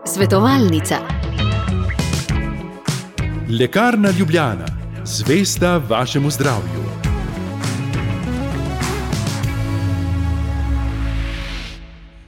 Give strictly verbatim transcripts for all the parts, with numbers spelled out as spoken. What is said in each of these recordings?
Svetovalnica. Lekarna Ljubljana, zvesta vašemu zdravju.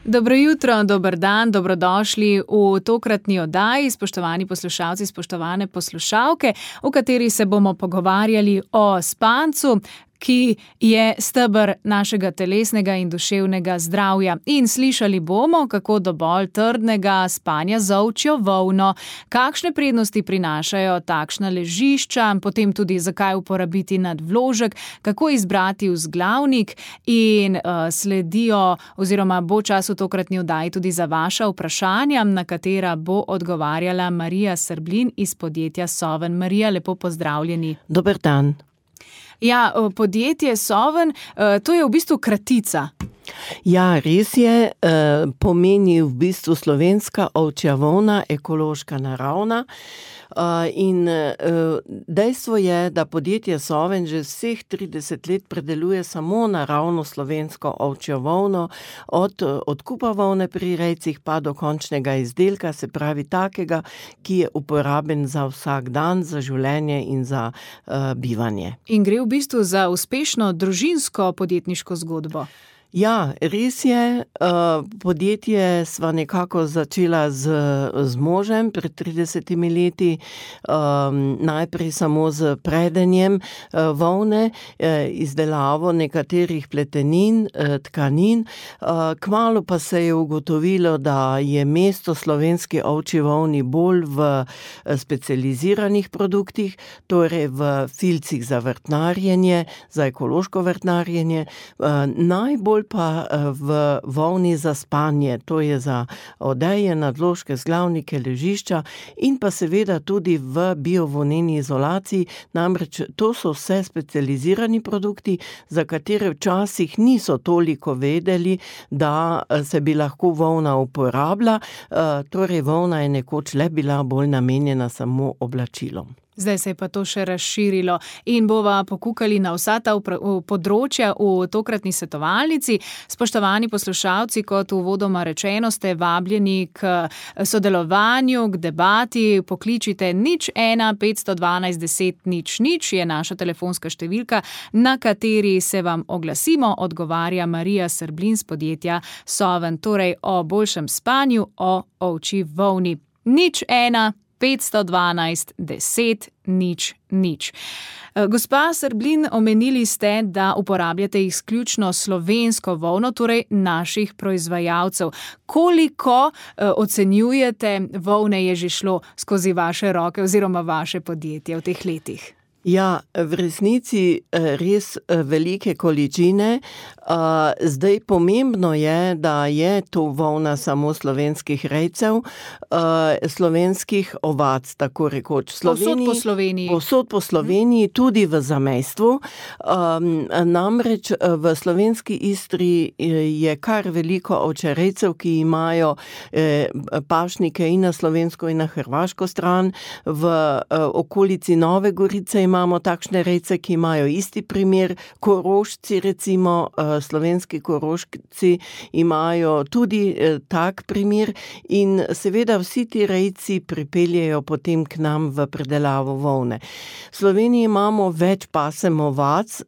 Dobro jutro, dober dan, dobrodošli v tokratni oddaji, spoštovani poslušalci, spoštovane poslušalke, v kateri se bomo pogovarjali o spancu, ki je steber našega telesnega in duševnega zdravja. In slišali bomo, kako do bolj trdnega spanja z ovčjo volno, kakšne prednosti prinašajo takšna ležišča, potem tudi zakaj uporabiti nadvložek, kako izbrati vzglavnik in uh, sledijo oziroma bo čas v tokratni oddaji tudi za vaša vprašanja, na katera bo odgovarjala Marija Srblin iz podjetja Soven. Marija, lepo pozdravljeni. Dober dan. Ja, podjetje Soven, to je v bistvu kratica. Ja, res je, pomeni v bistvu slovenska ovčja volna, ekološka, naravna. In dejstvo je, da podjetje Soven že vseh trideset let predeluje samo naravno slovensko ovčjo volno, od odkupa volne pri rejcih pa do končnega izdelka, se pravi takega, ki je uporaben za vsak dan, za življenje in za uh, bivanje. In gre v bistvu za uspešno družinsko podjetniško zgodbo. Ja, res je, podjetje sva nekako začela z, z možem pred tridesetimi leti, najprej samo z predenjem volne, izdelavo nekaterih pletenin, tkanin, kmalu pa se je ugotovilo, da je mesto slovenski ovčji volni bolj v specializiranih produktih, torej v filcih za vrtnarjenje, za ekološko vrtnarjenje, najbolj pa v volni za spanje, to je za odeje, nadložke, vzglavnike, ležišča in pa seveda tudi v biovoneni izolaciji, namreč to so vse specializirani produkti, za katere včasih niso toliko vedeli, da se bi lahko volna uporabila, torej volna je nekoč le bila bolj namenjena samo oblačilom. Zdaj se je pa to še razširilo in bova pokukali na vsa ta področja v tokratni svetovalnici. Spoštovani poslušalci, kot uvodoma rečeno, ste vabljeni k sodelovanju, k debati. Pokličite nič ena petsto dvanajst deset nič nič je naša telefonska številka, na kateri se vam oglasimo, odgovarja Marija Srblin z podjetja Soven, torej o boljšem spanju, o ovčji volni. Nič ena petsto dvanajst deset nič nič. Gospa Srblin, omenili ste, da uporabljate izključno slovensko volno, torej naših proizvajalcev. Koliko eh, ocenjujete volne je že šlo skozi vaše roke oziroma vaše podjetje v teh letih? Ja, v resnici res velike količine. Zdaj pomembno je, da je to volna samo slovenskih rejcev, slovenskih ovac, tako rekoč. Povsod po Sloveniji. Povsod po Sloveniji, tudi v zamejstvu. Namreč v slovenski Istri je kar veliko ovčerejcev, ki imajo pašnike in na slovensko in na hrvaško stran. V okolici Nove Gorice imamo takšne rejce, ki imajo isti primer. Korošci, recimo, slovenski Korošci imajo tudi tak primer in seveda vsi ti rejci pripeljejo potem k nam v predelavo volne. V Sloveniji imamo več pasem ovac,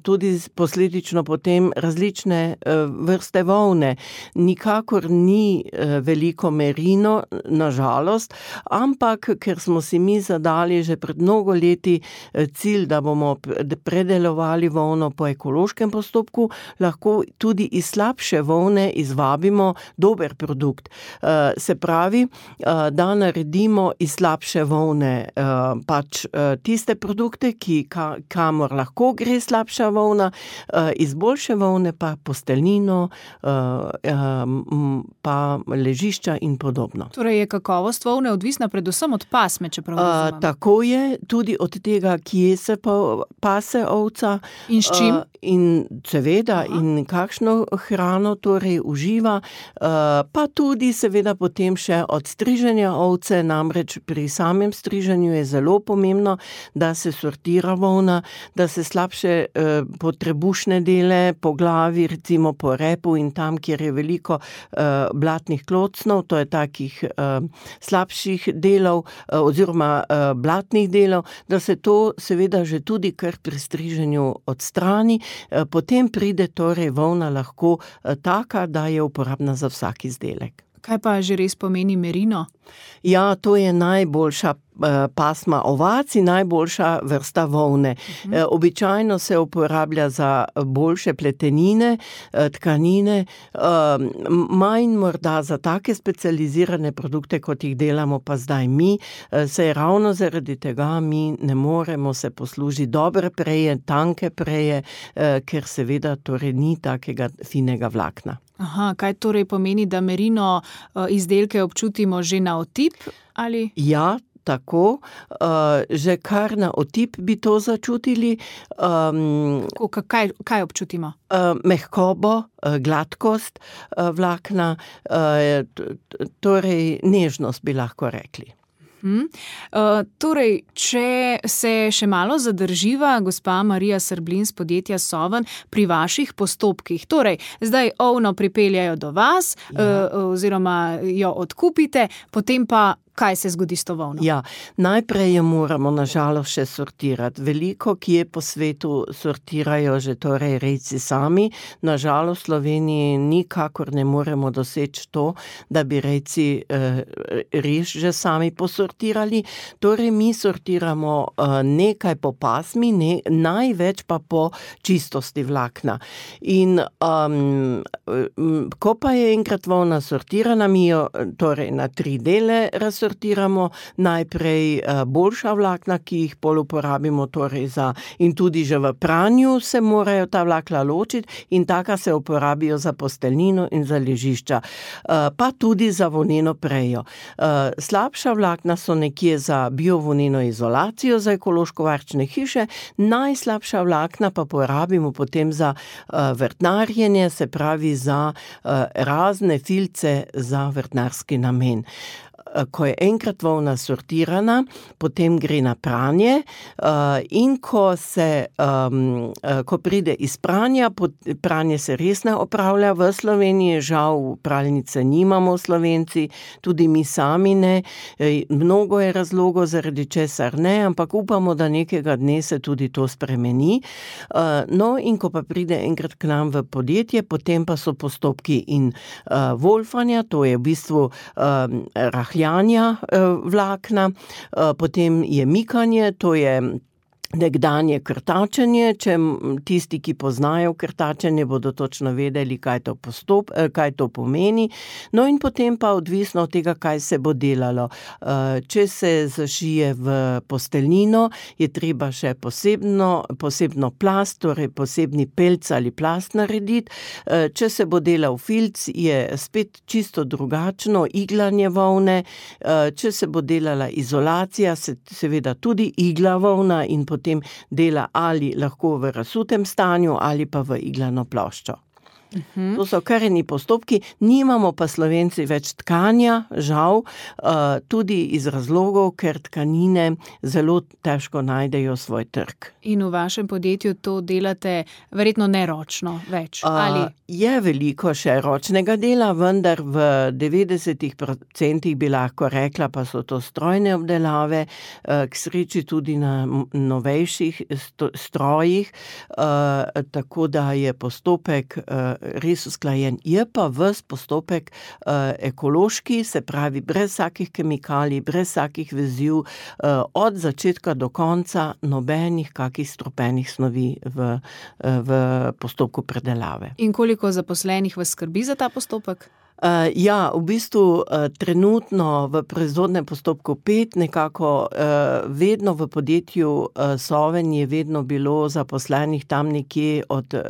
tudi posledično potem različne vrste volne. Nikakor ni veliko merino, na žalost, ampak ker smo si mi zadali že pred mnogo leti cilj, da bomo predelovali volno po ekološkem postopku, lahko tudi iz slabše volne izvabimo dober produkt. Se pravi, da naredimo iz slabše volne pač tiste produkte, ki, kamor lahko gre slabša volna, iz boljše volne pa posteljnino, pa ležišča in podobno. Torej je kakovost volne odvisna predvsem od pasme, če prav razumem. Tako je, tudi od tega tega, kje se pa pase ovca. In s čim? Uh, in seveda, Aha. in kakšno hrano torej uživa, uh, pa tudi seveda potem še od striženja ovce, namreč pri samem striženju je zelo pomembno, da se sortira volna, da se slabše uh, po trebušne dele, po glavi, recimo po repu in tam, kjer je veliko uh, blatnih klocnov, to je takih uh, slabših delov uh, oziroma uh, blatnih delov, da se to seveda že tudi kar pri striženju odstrani, uh, potem pride torej volna lahko uh, taka, da je uporabna za vsak izdelek. Kaj pa že res pomeni merino? Ja, to je najboljša pasma ovac in najboljša vrsta volne. Uh-huh. E, običajno se uporablja za boljše pletenine, tkanine, e, manj morda za take specializirane produkte, kot jih delamo pa zdaj mi, e, se je ravno zaradi tega mi ne moremo se poslužiti dobre preje, tanke preje, e, ker seveda torej ni takega finega vlakna. Aha, kaj torej pomeni, da merino izdelke občutimo že na otip? Ali? Ja, tako, uh, že kar na otip bi to začutili. Um, kaj, kaj občutimo? Uh, mehkobo, uh, gladkost uh, vlakna, uh, t- t- torej nežnost bi lahko rekli. Hmm. Uh, torej, če se še malo zadrživa, gospa Marija Srblin z podjetja Soven, pri vaših postopkih, torej, zdaj ovno pripeljajo do vas, ja. uh, oziroma jo odkupite, potem pa kaj se zgodi s to volno? Ja, najprej jo moramo nažalost še sortirati. Veliko, kje po svetu sortirajo že torej rejci sami. Nažalost v Sloveniji nikakor ne moremo doseči to, da bi rejci eh, res že sami posortirali. Torej mi sortiramo eh, nekaj po pasmi, ne, največ pa po čistosti vlakna. In um, ko pa je enkrat volna sortirana, mi jo torej na tri dele razsortiramo. Sortiramo najprej boljša vlakna, ki jih pol uporabimo torej za, in tudi že v pranju se morajo ta vlakna ločiti in taka se uporabijo za posteljnino in za ležišča, pa tudi za volneno prejo. Slabša vlakna so nekje za biovoneno izolacijo, za ekološko varčne hiše, najslabša vlakna pa porabimo potem za vrtnarjenje, se pravi za razne filce za vrtnarski namen. Ko je enkrat volna sortirana, potem gre na pranje in ko se, um, ko pride iz pranja, pranje se res ne opravlja v Sloveniji, žal pralnice nimamo Slovenci, tudi mi sami ne, mnogo je razlogov, zaradi česar ne, ampak upamo, da nekega dne se tudi to spremeni. No, in ko pa pride enkrat k nam v podjetje, potem pa so postopki in uh, wolfanja, to je v bistvu um, rahljanja vlakna, potem je mikanje, to je nekdanje krtačenje, če tisti, ki poznajo krtačenje, bodo točno vedeli, kaj to, postop, kaj to pomeni. No in potem pa odvisno od tega, kaj se bo delalo. Če se zašije v posteljnino, je treba še posebno, posebno plast, torej posebni pelc ali plast narediti. Če se bo delal filc, je spet čisto drugačno iglanje volne. Če se bo delala izolacija, se seveda tudi igla volna in potem potem dela ali lahko v razsutem stanju ali pa v iglano ploščo. Uhum. To so kareni postopki, nimamo pa Slovenci več tkanja, žal, tudi iz razlogov, ker tkanine zelo težko najdejo svoj trg. In v vašem podjetju to delate verjetno neročno več, ali? Je veliko še ročnega dela, vendar v devetdesetih procentih bi lahko rekla, pa so to strojne obdelave, k sreči tudi na novejših strojih, tako da je postopek res usklajen. Je pa ves postopek uh, ekološki, se pravi brez vsakih kemikalij, brez vsakih veziv, uh, od začetka do konca nobenih kakih strupenih snovi v, uh, v postopku predelave. In koliko zaposlenih vas skrbi za ta postopek? Uh, ja, v bistvu uh, trenutno v proizvodnem postopku pet, nekako uh, vedno v podjetju uh, Soven je vedno bilo zaposlenih tam nekje od uh,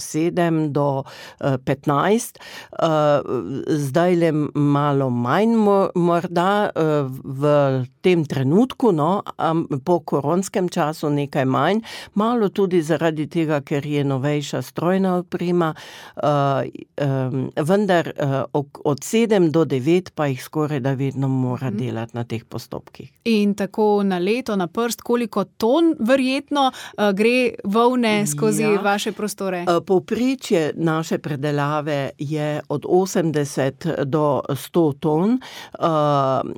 sedem do uh, petnajst. Uh, zdaj le malo manj morda uh, v tem trenutku, no, um, po koronskem času nekaj manj, malo tudi zaradi tega, ker je novejša strojna oprema, uh, um, vendar uh, od sedem do devet pa jih skoraj da vedno mora delati na teh postopkih. In tako na leto, na prst, koliko ton verjetno uh, gre volne skozi ja. vaše prostore? Uh, povprečje naše predelave je od osemdeset do sto ton. Uh,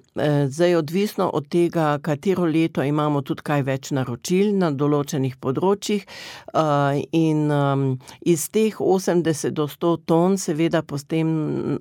zdaj odvisno od tega, katero leto imamo tudi kaj več naročil na določenih področjih uh, in um, iz teh osemdeset do sto ton seveda potem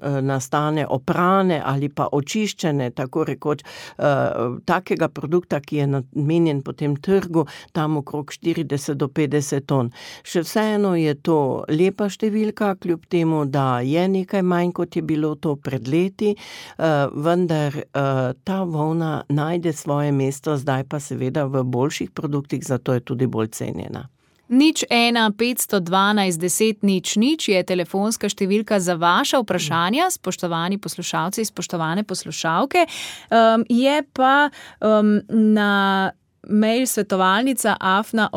uh, nastane oprane ali pa očiščene, tako rekoč, uh, takega produkta, ki je namenjen potem trgu, tam okrog štirideset do petdeset ton. Še vseeno je to lepa številka, kljub temu, da je nekaj manj, kot je bilo to pred leti, uh, vendar uh, ta volna najde svoje mesto, zdaj pa seveda v boljših produktih, zato je tudi bolj cenjena. Nič ena, petsto dvanajst, deset, nič, nič je telefonska številka za vaša vprašanja, spoštovani poslušalci, spoštovane poslušalke. Um, je pa um, na mail svetovalnica afna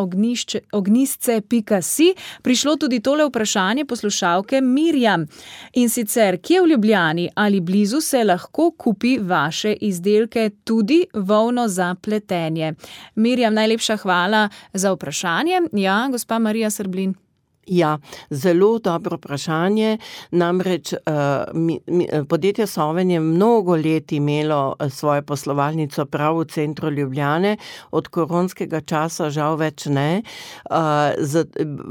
ognisce pika si prišlo tudi tole vprašanje poslušalke Mirjam. In sicer, kje v Ljubljani ali blizu se lahko kupi vaše izdelke, tudi volno za pletenje? Mirjam, najlepša hvala za vprašanje. Ja, gospa Marija Srblin. Ja, zelo dobro vprašanje. Namreč uh, mi, mi, podjetje Soven je mnogo let imelo svojo poslovalnico prav v centru Ljubljane, od koronskega časa žal več ne. Uh, z,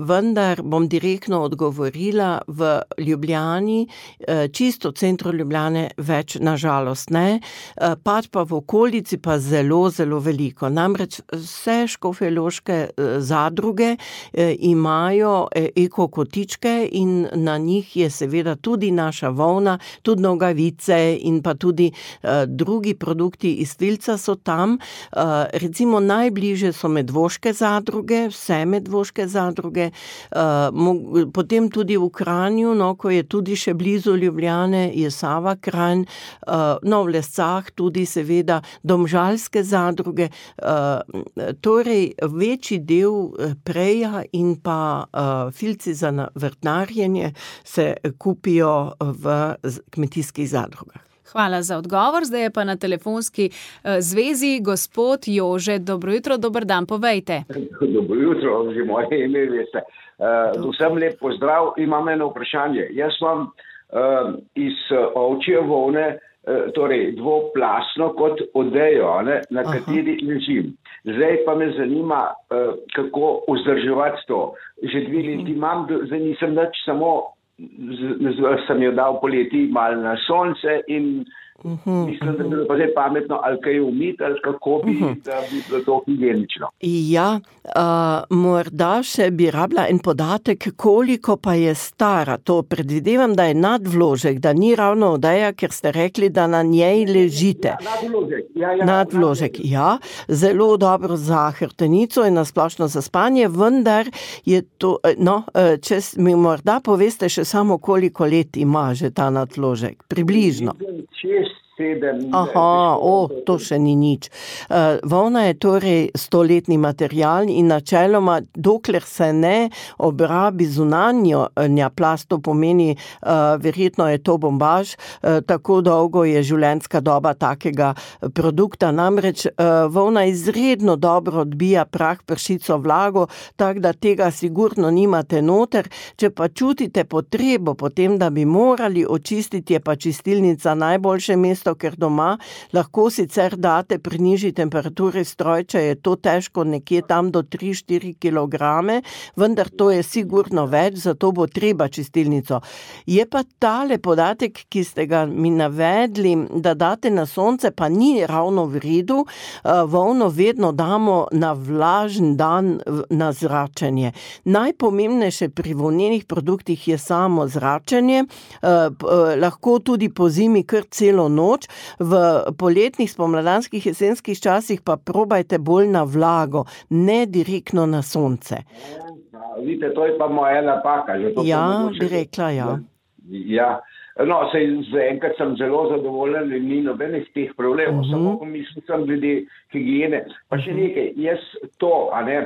vendar bom direktno odgovorila, v Ljubljani, uh, čisto v centru Ljubljane več nažalost ne, uh, pač pa v okolici pa zelo, zelo veliko. Namreč vse škofjeloške uh, zadruge uh, imajo uh, eko kotičke in na njih je seveda tudi naša volna, tudi nogavice in pa tudi uh, drugi produkti iz filca so tam. Uh, recimo najbliže so medvoške zadruge, vse medvoške zadruge, uh, mo- potem tudi v Kranju, no, ko je tudi še blizu Ljubljane, je Sava Kranj, uh, no, v Lescah tudi seveda domžalske zadruge, uh, torej večji del preja in pa uh, filci za vrtnarjenje se kupijo v kmetijskih zadrugah. Hvala za odgovor. Zdaj je pa na telefonski uh, zvezi gospod Jože. Dobro jutro, dober dan, povejte. Dobro jutro, že moje ime veste. Uh, vsem lep pozdrav, imam eno vprašanje. Jaz imam uh, iz ovčje volne uh, torej dvoplasno kot odejo, ne, na Aha. kateri ležim. Zdaj pa me zanima, uh, kako vzdrževati to. Že dve leti imam, zdaj nisem nič, samo z, z, sem jo dal poleti malo na sonce in Uhum, mislim, da bi bilo pa zdaj pametno, ali kaj umiti, ali kako bi, uhum. da bi bilo to higienično. Ja, uh, morda še bi rabila en podatek, koliko pa je stara. To predvidevam, da je nadvložek, da ni ravno odeja, ker ste rekli, da na njej ležite. Ja, nadvložek. Ja, ja, nadvložek, ja. Zelo dobro za hrbtenico in nasplošno za spanje, vendar je to, no, če mi morda poveste še samo, koliko let ima že ta nadvložek, približno. Sedem, Aha, o, to še ni nič. Uh, volna je torej stoletni material in načeloma, dokler se ne obrabi zunanja plast, to pomeni, uh, verjetno je to bombaž, uh, tako dolgo je življenjska doba takega produkta. Namreč uh, volna izredno dobro odbija prah, pršico, vlago, tako da tega sigurno nimate noter. Če pa čutite potrebo potem, da bi morali očistiti, je pa čistilnica najboljše mesto, predstav, ker doma lahko sicer date pri nižji temperaturi strojča, je to težko nekje tam do tri do štiri kilograme, vendar to je sigurno več, zato bo treba čistilnico. Je pa tale podatek, ki ste ga mi navedli, da date na sonce, pa ni ravno v redu, volno vedno damo na vlažen dan na zračenje. Najpomembnejše pri volnenih produktih je samo zračenje, lahko tudi po zimi kar celo noč, v poletnih, spomladanskih, jesenskih časih pa probajte bolj na vlago, ne direktno na sonce. Ja, vidite, to je pa moja napaka. Že to ja, mogoče... bi rekla, ja. Ja. No, sej zaenkrat sem zelo zadovoljen in ni nobenih teh problemov, uh-huh. samo mislim sem glede higiene. Pa še nekaj, jaz to, a ne,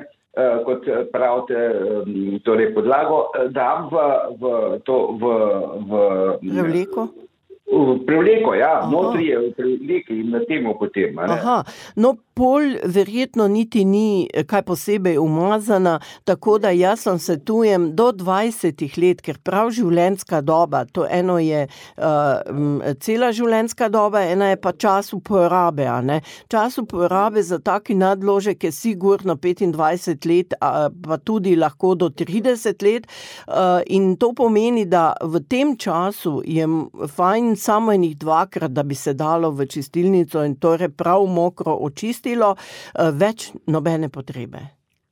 kot pravite, torej podlago, dam v, v to, v, v prevleko? V prevleko, ja, Aha. notri je v prevleki in na temu potem. A ne? Aha, no pol verjetno niti ni kaj posebej umazana, tako da jaz sem svetujem do dvajsetih let, ker prav življenjska doba, to eno je uh, cela življenjska doba, ena je pa čas uporabe, a ne. Čas uporabe za taki nadložek je sigurno petindvajset let, a, pa tudi lahko do trideset let uh, in to pomeni, da v tem času je fajn samo enih dvakrat, da bi se dalo v čistilnico in torej prav mokro očistilo, več nobene potrebe.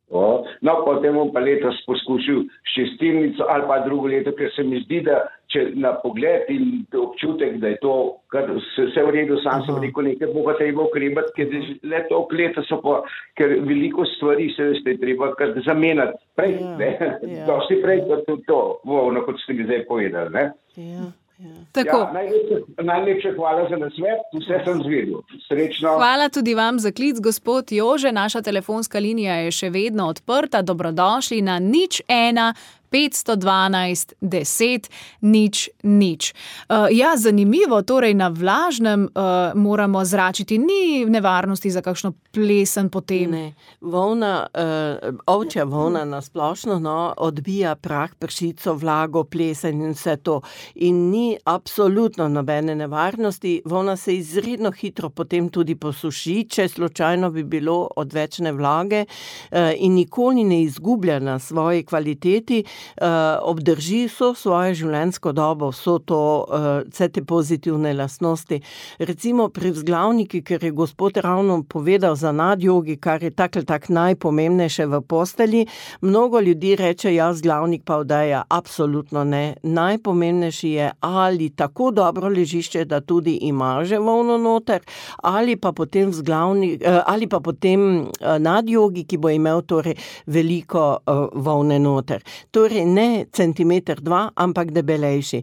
O, no, potem bom pa letos poskušal čistilnico ali pa drugo leto, ker se mi zdi, da če na pogled in občutek, da je to kar vse v redu, sam sem rekel nekaj, bo pa treba ukrebati, ker le to leta so pa, ker veliko stvari se veste treba kar zamenjati prej, ja, ne, ja, dosti prej kot to, to, no, kot ste mi zdaj povedali, ne. Ja. Ja. Tako. Ja, najlepše, najlepše hvala za nasvet, vse sem zvedel. Srečno. Hvala tudi vam za klic, gospod Jože. Naša telefonska linija je še vedno odprta. Dobrodošli na nič ena petsto dvanajst deset nič nič. Uh, ja, zanimivo, torej na vlažnem uh, moramo zračiti, ni nevarnosti za kakšno plesen potem. Ne, volna, uh, ovčja volna na splošno no, odbija prah, pršico, vlago, plesen in vse to. In ni absolutno nobene nevarnosti, volna se izredno hitro potem tudi posuši, če slučajno bi bilo odvečne vlage uh, in nikoli ne izgublja na svoji kvaliteti, Uh, obdrži vso svojo življenjsko dobo, vso to, uh, vse te pozitivne lastnosti. Recimo pri vzglavniki, ker je gospod ravno povedal za nadjogi, kar je tak ali tak najpomembnejše v posteli, mnogo ljudi reče, ja, vzglavnik pa odeja. Absolutno ne. Najpomembnejši je ali tako dobro ležišče, da tudi ima že volno noter, ali pa potem vzglavnik, uh, ali pa potem uh, nadjogi, ki bo imel torej veliko uh, volne noter. Torej ne centimeter dva, ampak debelejši.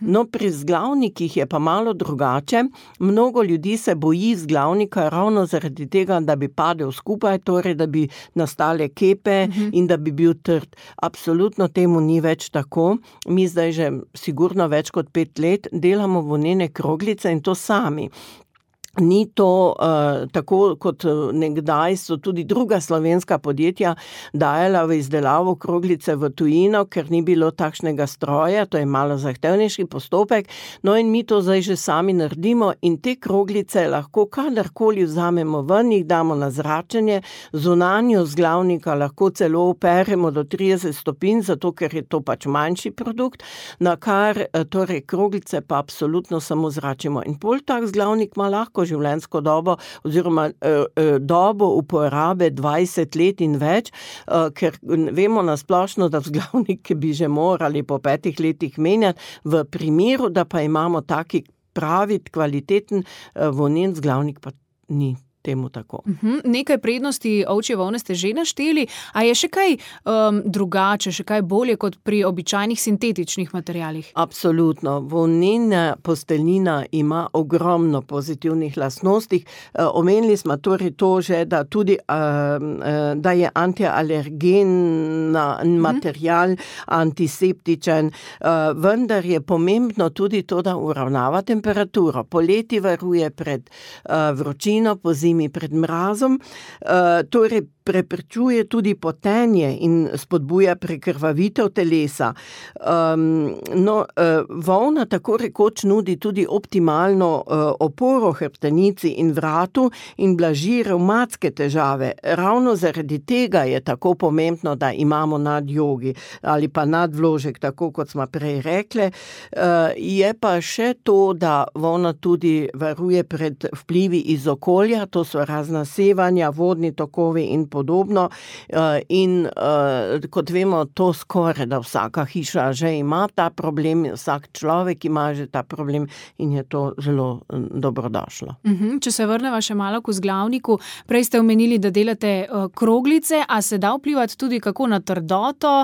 No, pri vzglavnikih je pa malo drugače. Mnogo ljudi se boji vzglavnika ravno zaradi tega, da bi padel skupaj, torej da bi nastale kepe uh-huh. in da bi bil trd. Absolutno temu ni več tako. Mi zdaj že sigurno več kot pet let delamo volnene kroglice in to sami. Ni to uh, tako, kot nekdaj so tudi druga slovenska podjetja dajala v izdelavo kroglice v tujino, ker ni bilo takšnega stroja, to je malo zahtevnejši postopek, no in mi to zdaj že sami naredimo in te kroglice lahko kadarkoli vzamemo ven, jih damo na zračenje, zunanjo vzglavnika lahko celo operemo do trideset stopinj, zato ker je to pač manjši produkt, na kar torej kroglice pa absolutno samo zračimo. In pol tak vzglavnik ima lahko življenjsko dobo oziroma eh, dobo uporabe dvajset let in več, eh, ker vemo na splošno, da vzglavnik bi že morali po petih letih menjati, v primeru, da pa imamo taki pravi, kvaliteten eh, volnen vzglavnik, pa ni temu tako. Uhum, nekaj prednosti ovčje volne ste že našteli, a je še kaj um, drugače, še kaj bolje kot pri običajnih sintetičnih materialih? Absolutno. Volnena posteljnina ima ogromno pozitivnih lastnosti. Uh, omenili smo torej to že, da tudi uh, uh, da je antialergen material, uhum. antiseptičen, uh, vendar je pomembno tudi to, da uravnava temperaturo. Poleti varuje pred uh, vročino, pozimi pred mrazom, uh, torej preprečuje tudi potenje in spodbuja prekrvavitev telesa. Um, no, uh, volna tako rekoč nudi tudi optimalno uh, oporo hrbtenici in vratu in blaži revmatske težave. Ravno zaradi tega je tako pomembno, da imamo nadjogi ali pa nadvložek, tako kot smo prej rekli. Uh, je pa še to, da volna tudi varuje pred vplivi iz okolja, to so razna sevanja, vodni tokovi in podobno. In kot vemo, to skoraj da vsaka hiša že ima ta problem, vsak človek ima že ta problem in je to zelo dobrodošlo. Uhum, če se vrneva še malo k vzglavniku, prej ste omenili, da delate kroglice, a se da vplivati tudi kako na trdoto,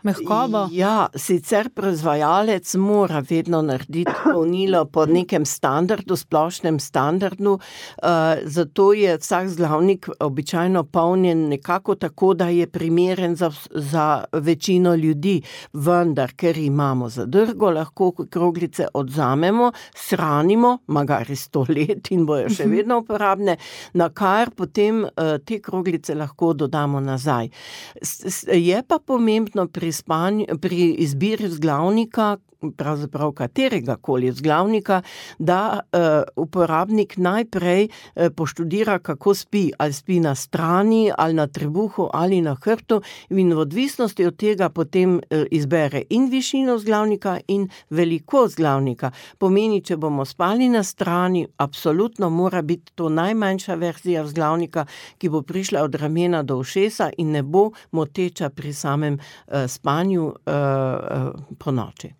mehkobo? Ja, sicer proizvajalec mora vedno narediti polnilo po nekem standardu, splošnem standardu, uh, zato je vsak vzglavnik običajno polnjen nekako tako, da je primeren za, za večino ljudi, vendar, ker imamo zadrgo, lahko kroglice odzamemo, shranimo, magari sto let in bojo še vedno uporabne, na kar potem uh, te kroglice lahko dodamo nazaj. S, s, je pa pomembno pri Spanj, pri izbiri vzglavnika, pravzaprav katerega koli vzglavnika, da uh, uporabnik najprej uh, poštudira, kako spi, ali spi na strani, ali na trebuhu, ali na hrbtu, in v odvisnosti od tega potem uh, izbere in višino vzglavnika in velikost vzglavnika. Pomeni, če bomo spali na strani, absolutno mora biti to najmanjša verzija vzglavnika, ki bo prišla od ramena do ušesa in ne bo moteča pri samem uh, spanju uh, uh, po noči.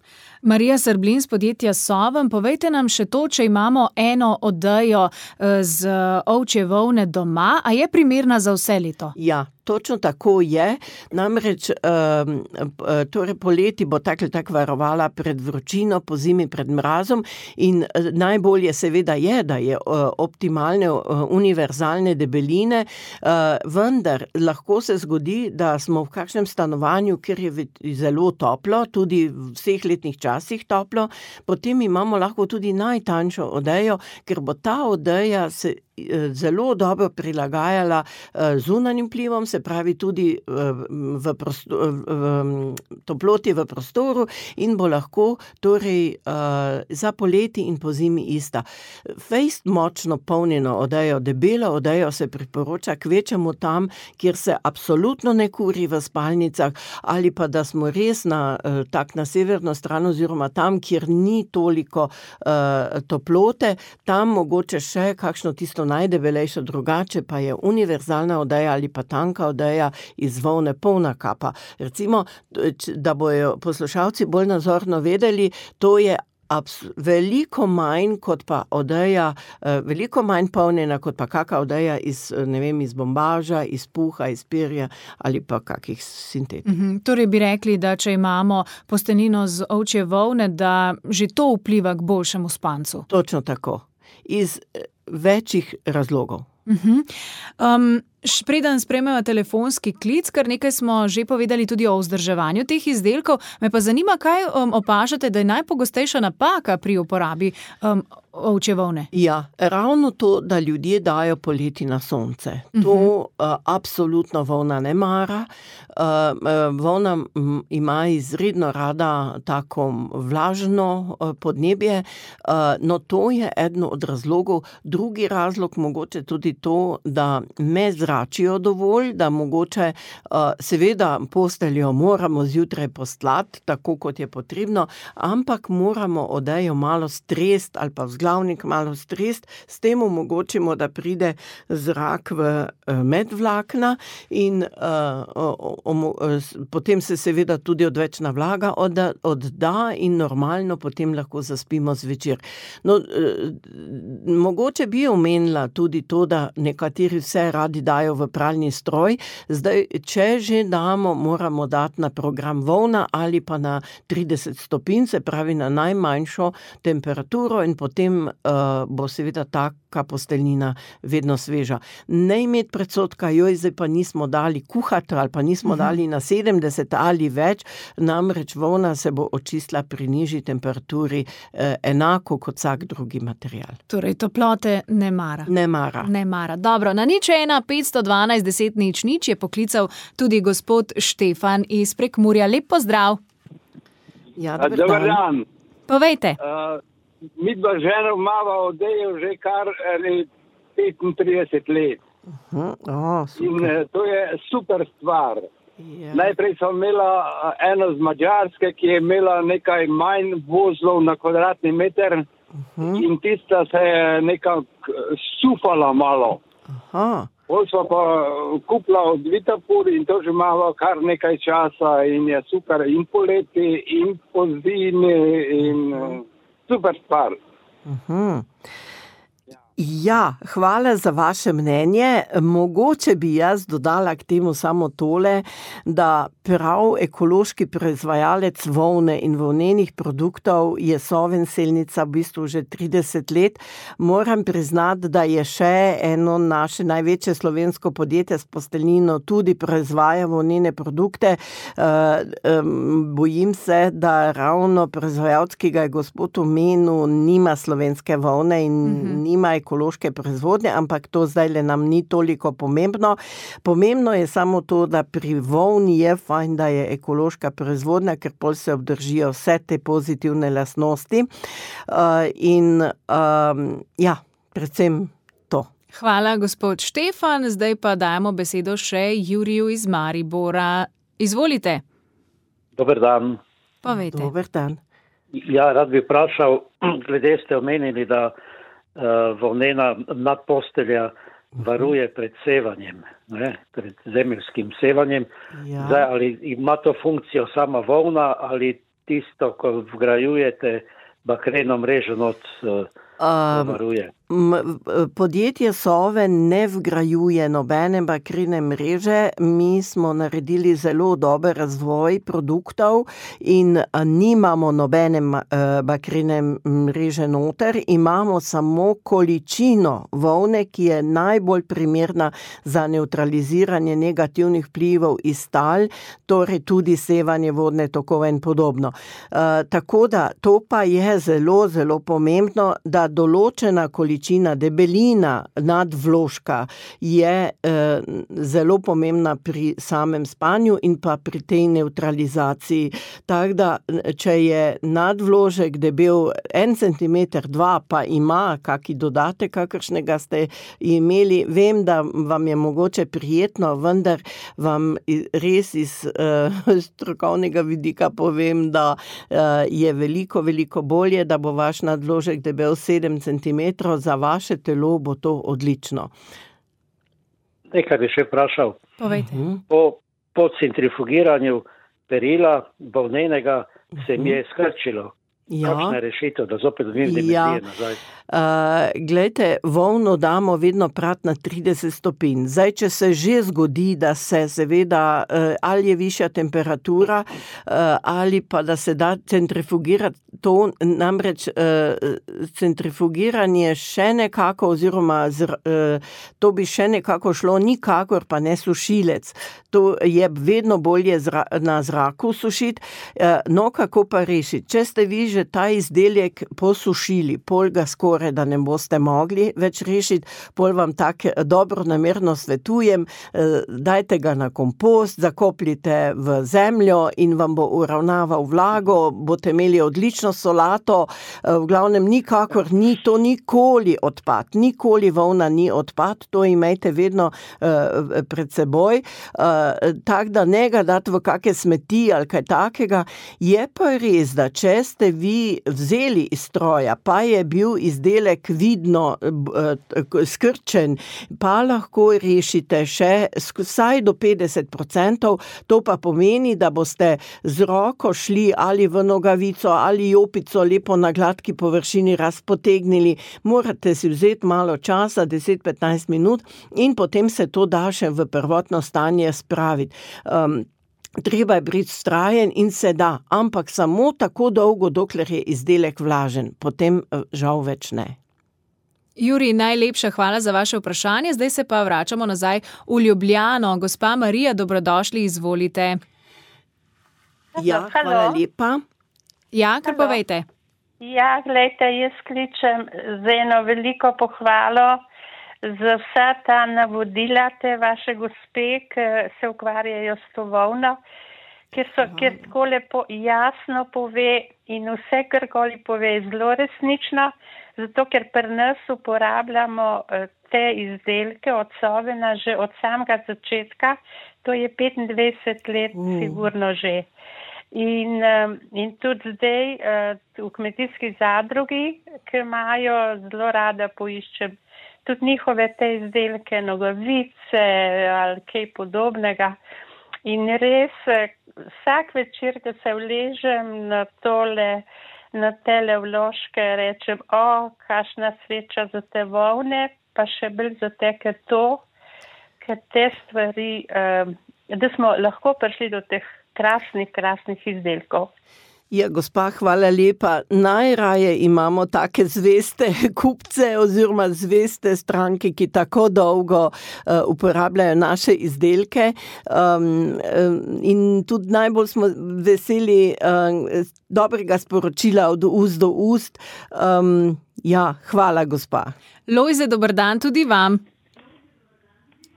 Marija Srblin z podjetja Soven, povejte nam še to, če imamo eno odejo z ovčje volne doma, a je primerna za vse leto? Ja. Točno tako je, namreč um, torej poleti bo tak ali tak varovala pred vročino, po zimi pred mrazom in najbolje seveda je, da je uh, optimalne uh, univerzalne debeline, uh, vendar lahko se zgodi, da smo v kakšnem stanovanju, kjer je zelo toplo, tudi v vseh letnih časih toplo, potem imamo lahko tudi najtanjšo odejo, ker bo ta odeja se zelo dobro prilagajala zunanjim vplivom, se pravi tudi v, prostor, v toploti v prostoru in bo lahko torej za poleti in po zimi ista. Fejst močno polnjeno odejo, debelo odejo se priporoča kvečemu tam, kjer se absolutno ne kuri v spalnicah, ali pa da smo res na, tak na severno stran oziroma tam, kjer ni toliko uh, toplote, tam mogoče še kakšno tisto najdebelejšo, drugače pa je univerzalna odeja ali pa tanka odeja iz volne polna kapa. Recimo, da bojo poslušalci bolj nazorno vedeli, to je abs- veliko manj kot pa odeja, veliko manj polnjena kot pa kaka odeja iz, ne vem, iz bombaža, iz puha, iz perja ali pa kakih sintetik. Mhm, torej bi rekli, da če imamo posteljnino z ovčje volne, da že to vpliva k boljšemu spancu. Točno tako. Iz večjih razlogov. Uh-huh. Um, preden sprejmeva telefonski klic, kar nekaj smo že povedali tudi o vzdrževanju teh izdelkov, me pa zanima, kaj um, opažate, da je najpogostejša napaka pri uporabi um, ovčje volne? Ja, ravno to, da ljudje dajo poleti na sonce. To uh-huh. uh, absolutno volna ne mara. Uh, volna m, ima izredno rada tako vlažno uh, podnebje, uh, no to je eden od razlogov. Drugi razlog mogoče tudi to, da me zračijo dovolj, da mogoče uh, seveda posteljo moramo zjutraj postlati, tako kot je potrebno, ampak moramo odejo malo strest ali pa vzglavnik malo strest, s tem omogočimo, da pride zrak v uh, medvlakna in uh, um, um, potem se seveda tudi odvečna vlaga odda, odda in normalno potem lahko zaspimo zvečer. No, uh, mogoče bi omenila tudi to, da nekateri vse radi dajo v pralni stroj. Zdaj, če že damo, moramo dati na program volna ali pa na trideset stopinj, se pravi na najmanjšo temperaturo in potem uh, bo seveda taka posteljnina vedno sveža. Ne imeti predsodka, joj, zdaj pa nismo dali kuhati ali pa nismo uh-huh. dali na sedemdeset ali več, namreč volna se bo očistila pri nižji temperaturi eh, enako kot vsak drugi material. Torej, toplote ne mara. Ne mara. Ne mara. Dobro, na nič ena, petsto sto dvanajst deset nič nič je poklical tudi gospod Štefan iz Prekmurja. Lep pozdrav. Ja, dober dan. dan. Povejte. Uh, mi dva žena imava odejo že kar petintrideset let. Uh-huh. Oh, in uh, to je super stvar. Yeah. Najprej sem imela uh, eno z Madžarske, ki je imela nekaj manj vozlov na kvadratni meter. Uh-huh. In tista se je nekako sufala malo. Aha. Pol smo pa kupila od Vitapur in to že imamo kar nekaj časa in je super in poleti in po zimi in uh, super stvar. Uh-huh. Ja, hvala za vaše mnenje. Mogoče bi jaz dodala k temu samo tole, da prav ekološki proizvajalec volne in volnenih produktov je Soven Selnica v bistvu že trideset let. Moram priznati, da je še eno naše največje slovensko podjetje s posteljnino tudi proizvaja volnene produkte. Bojim se, da ravno proizvajalec, ki ga je gospod omenil, nima slovenske volne in mm-hmm. nima ekološke proizvodnje, ampak to zdaj le nam ni toliko pomembno. Pomembno je samo to, da pri volni je fajn, da je ekološka proizvodnja, ker pol se obdržijo vse te pozitivne lastnosti. Uh, in um, ja, predvsem to. Hvala, gospod Štefan. Zdaj pa dajemo besedo še Juriju iz Maribora. Izvolite. Dober dan. Povejte. Dober dan. Ja, rad bi vprašal, glede ste omenili, da uh, volnena nadpostelja varuje pred sevanjem, ne, pred zemeljskim sevanjem. Ja. Zdaj, ali ima to funkcijo sama volna ali tisto, ko vgrajujete bakreno mrežo not uh, Um, varuje? Podjetje Sove ne vgrajuje nobene bakrene mreže. Mi smo naredili zelo dober razvoj produktov in nimamo nobene bakrene mreže noter. Imamo samo količino volne, ki je najbolj primerna za neutraliziranje negativnih vplivov iz tal, torej tudi sevanje vodne tokove in podobno. Uh, tako da to pa je zelo, zelo pomembno, da določena količina debelina nadvložka je eh, zelo pomembna pri samem spanju in pa pri tej neutralizaciji. Tako da, če je nadvložek debel en centimeter, dva, pa ima kaki dodatek, kakršnega ste imeli, vem, da vam je mogoče prijetno, vendar vam res iz eh, strokovnega vidika povem, da eh, je veliko, veliko bolje, da bo vaš nadvložek debel sedem centimetrov, za vaše telo bo to odlično. Nekaj bi še vprašal. Povejte. Po, po centrifugiranju perila volnenega se mi je skrčilo. Ja. Kakšna je rešitev, da zopet dobim dimenzije Ja. nazaj? Uh, glejte, volno damo vedno prat na trideset stopinj. Zdaj, če se že zgodi, da se seveda uh, ali je višja temperatura uh, ali pa da se da centrifugirati, to namreč uh, centrifugiranje še nekako oziroma zr, uh, to bi še nekako šlo, nikakor pa ne sušilec. To je vedno bolje zra, na zraku sušiti. Uh, no, kako pa rešiti? Če ste vi že ta izdelek posušili, pol ga skoraj da ne boste mogli več rešiti, pol vam tako dobro namerno svetujem, dajte ga na kompost, zakopljite v zemljo in vam bo uravnaval vlago, boste imeli odlično solato, v glavnem nikakor ni, to nikoli odpad, nikoli volna ni odpad, to imejte vedno uh, pred seboj, uh, tak da ne ga dati v kakšne smeti ali kaj takega. Je pa res, da če ste vi vzeli iz stroja, pa je bil izdelek vidno skrčen, pa lahko rešite še vsaj do petdeset procentov, to pa pomeni, da boste z roko šli ali v nogavico ali jopico lepo na gladki površini razpotegnili, morate si vzeti malo časa, deset do petnajst minut in potem se to da še v prvotno stanje spraviti. Um, Treba je biti vztrajen in se da, ampak samo tako dolgo, dokler je izdelek vlažen, potem žal več ne. Jurij, najlepša hvala za vaše vprašanje. Zdaj se pa vračamo nazaj v Ljubljano. Gospa Marija, dobrodošli, izvolite. Ja, hvala lepa. Ja, kar povejte. Ja, gledajte, jaz kličem z eno veliko pohvalo za vsa ta navodila te vaše gospe, ki se ukvarjajo s to volno, ker so, ker tako lepo jasno pove in vse, karkoli pove, je zelo resnično, zato ker pri nas uporabljamo te izdelke od Sovena že od samega začetka, to je petindvajset let mm. sigurno že. In, in tudi zdaj v kmetijski zadrugi, ki imajo, zelo rada poiščem tudi njihove te izdelke, nogavice ali kaj podobnega. In res vsak večer, ko se vležem na tole, na tele vložke, rečem, o, kakšna sreča za te volne, pa še bolj za te, ker to, ker te stvari, da smo lahko prišli do teh krasnih, krasnih izdelkov. Ja, gospa, hvala lepa. Najraje imamo take zveste kupce oziroma zveste stranke, ki tako dolgo uh, uporabljajo naše izdelke. Um, in tudi najbolj smo veseli uh, dobrega sporočila od ust do ust. Um, ja, hvala, gospa. Lojze, dober dan tudi vam.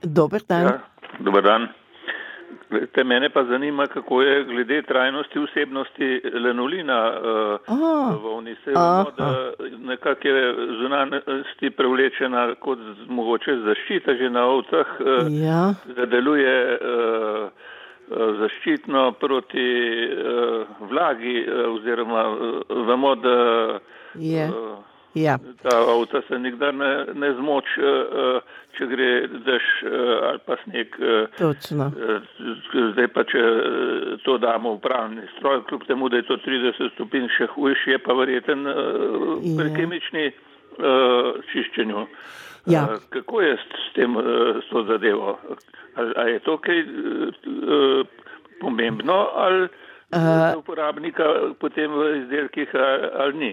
Dober dan. Ja, dober dan. Te mene pa zanima, kako je glede trajnosti vsebnosti lanolina uh, v volni. Se vemo, da nekako je zunanjosti prevlečena kot mogoče zaščita že na ovcah, uh, ja. da deluje uh, zaščitno proti uh, vlagi uh, oziroma uh, vemo, da yeah. uh, Ja. ta ovca se nikdar ne, ne zmoč, če gre dež ali pa sneg. Točno. Zdaj pa, če to damo v pravni stroj, kljub temu, da je to trideset stopinj še hujš, je pa verjeten pri kemični čiščenju. Ja. Kako je s tem, s to zadevo? A je to kaj pomembno ali uh, uporabnika potem v izdelkih ali ni?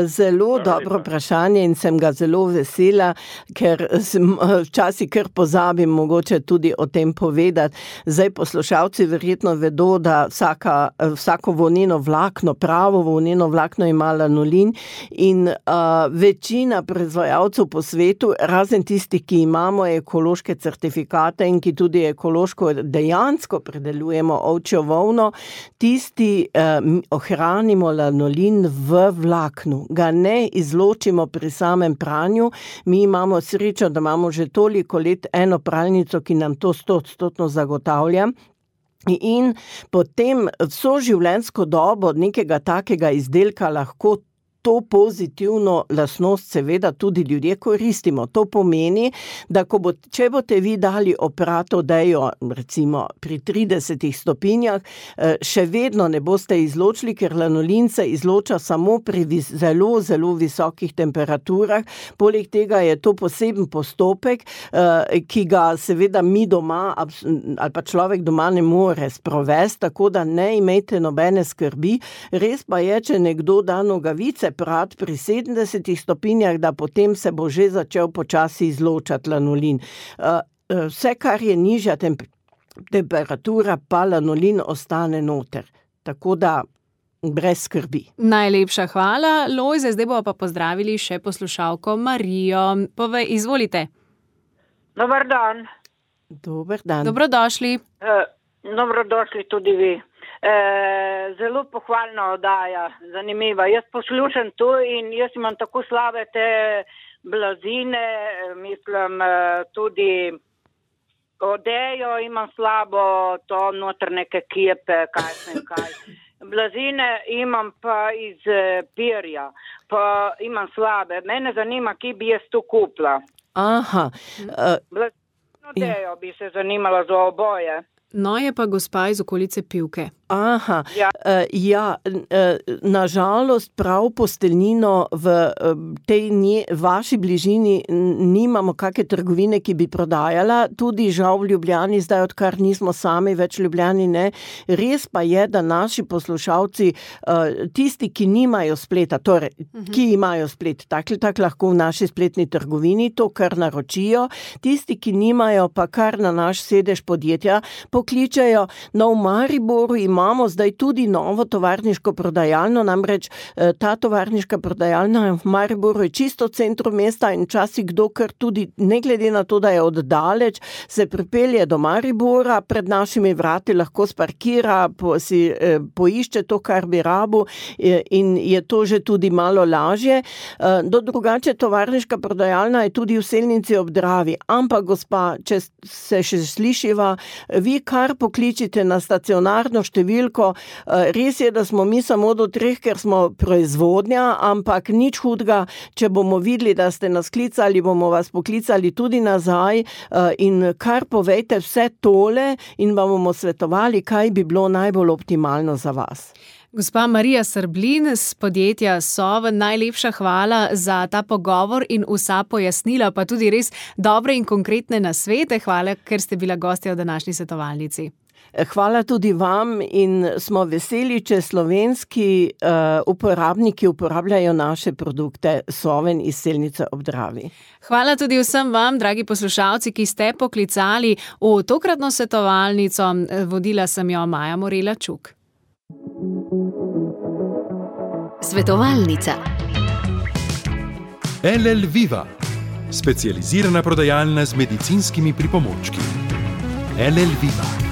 Zelo dobro vprašanje in sem ga zelo vesela, ker sem včasih kar pozabim mogoče tudi o tem povedati. Zdaj poslušalci verjetno vedo, da vsaka, vsako volneno vlakno, pravo volneno vlakno ima lanolin in uh, večina proizvajalcev po svetu, razen tistih, ki imamo ekološke certifikate in ki tudi ekološko dejansko predelujemo ovčjo volno, tisti uh, ohranimo lanolin v vlaknu. Ga ne izločimo pri samem pranju. Mi imamo srečo, da imamo že toliko let eno pralnico, ki nam to stoodstotno zagotavlja. In potem vso življenjsko dobo nekega takega izdelka lahko to pozitivno lastnost seveda tudi ljudje koristimo. To pomeni, da ko bo, če boste vi dali oprato dejo, recimo pri tridesetih stopinjah, še vedno ne boste izločili, ker lanolin se izloča samo pri vis, zelo, zelo visokih temperaturah. Poleg tega je to poseben postopek, ki ga seveda mi doma ali pa človek doma ne more sprovesti, tako da ne imejte nobene skrbi. Res pa je, če nekdo da nogavice prat pri sedemdesetih stopinjah, da potem se bo že začel počasi izločati lanolin. Vse, kar je nižja temp- temperatura, pa lanolin ostane noter. Tako da brez skrbi. Najlepša hvala, Lojze. Zdaj bomo pa pozdravili še poslušalko Marijo. Povej, izvolite. Dobar dan. Dober dan. Dobrodošli. Uh, dobrodošli tudi vi. E, zelo pohvalna oddaja, zanimiva. Jaz poslušam to in jaz imam tako slabe te blazine, mislim tudi odejo imam slabo, to noter neke kjepe, kaj sem kaj. Blazine imam pa iz pirja, pa imam slabe. Mene zanima, ki bi jaz to kupila. Aha. Uh, Blazino odejo bi se zanimala za oboje. No, je pa gospa iz okolice Pivke. Aha, ja, uh, ja uh, nažalost prav posteljnino v uh, tej nje, vaši bližini nimamo kakšne trgovine, ki bi prodajala, tudi žal v Ljubljani, zdaj odkar nismo sami več v Ljubljani, ne. Res pa je, da naši poslušalci, uh, tisti, ki nimajo spleta, torej, uh-huh. ki imajo splet, tak, tak lahko v naši spletni trgovini, to kar naročijo, tisti, ki nimajo, pa kar na naš sedež podjetja pokličejo. No, v Mariboru ima imamo zdaj tudi novo tovarniško prodajalno, namreč ta tovarniška prodajalna v Mariboru je čisto v centru mesta in včasih kdo, ker tudi ne glede na to, da je oddaleč, se pripelje do Maribora, pred našimi vrati lahko sparkira, po, si eh, poišče to, kar bi rabu eh, in je to že tudi malo lažje. Eh, do drugače tovarniška prodajalna je tudi v Selnici ob Dravi, ampak gospa, če se še slišiva, vi kar pokličite na stacionarno številko, eh, res je, da smo mi samo do treh, ker smo proizvodnja, ampak nič hudega, če bomo videli, da ste nas klicali, bomo vas poklicali tudi nazaj in kar povejte vse tole in vam bomo svetovali, kaj bi bilo najbolj optimalno za vas. Gospa Marija Srblin z podjetja Soven, najlepša hvala za ta pogovor in vsa pojasnila, pa tudi res dobre in konkretne nasvete. Hvala, ker ste bila gostja v današnji svetovalnici. Hvala tudi vam in smo veseli, če slovenski uh, uporabniki uporabljajo naše produkte Soven iz Selnice ob Dravi. Hvala tudi vsem vam, dragi poslušalci, ki ste poklicali v tokratno svetovalnico. Vodila sem jo Maja Morela Čuk. Svetovalnica. L L Viva, specializirana prodajalna z medicinskimi pripomočki. L L Viva.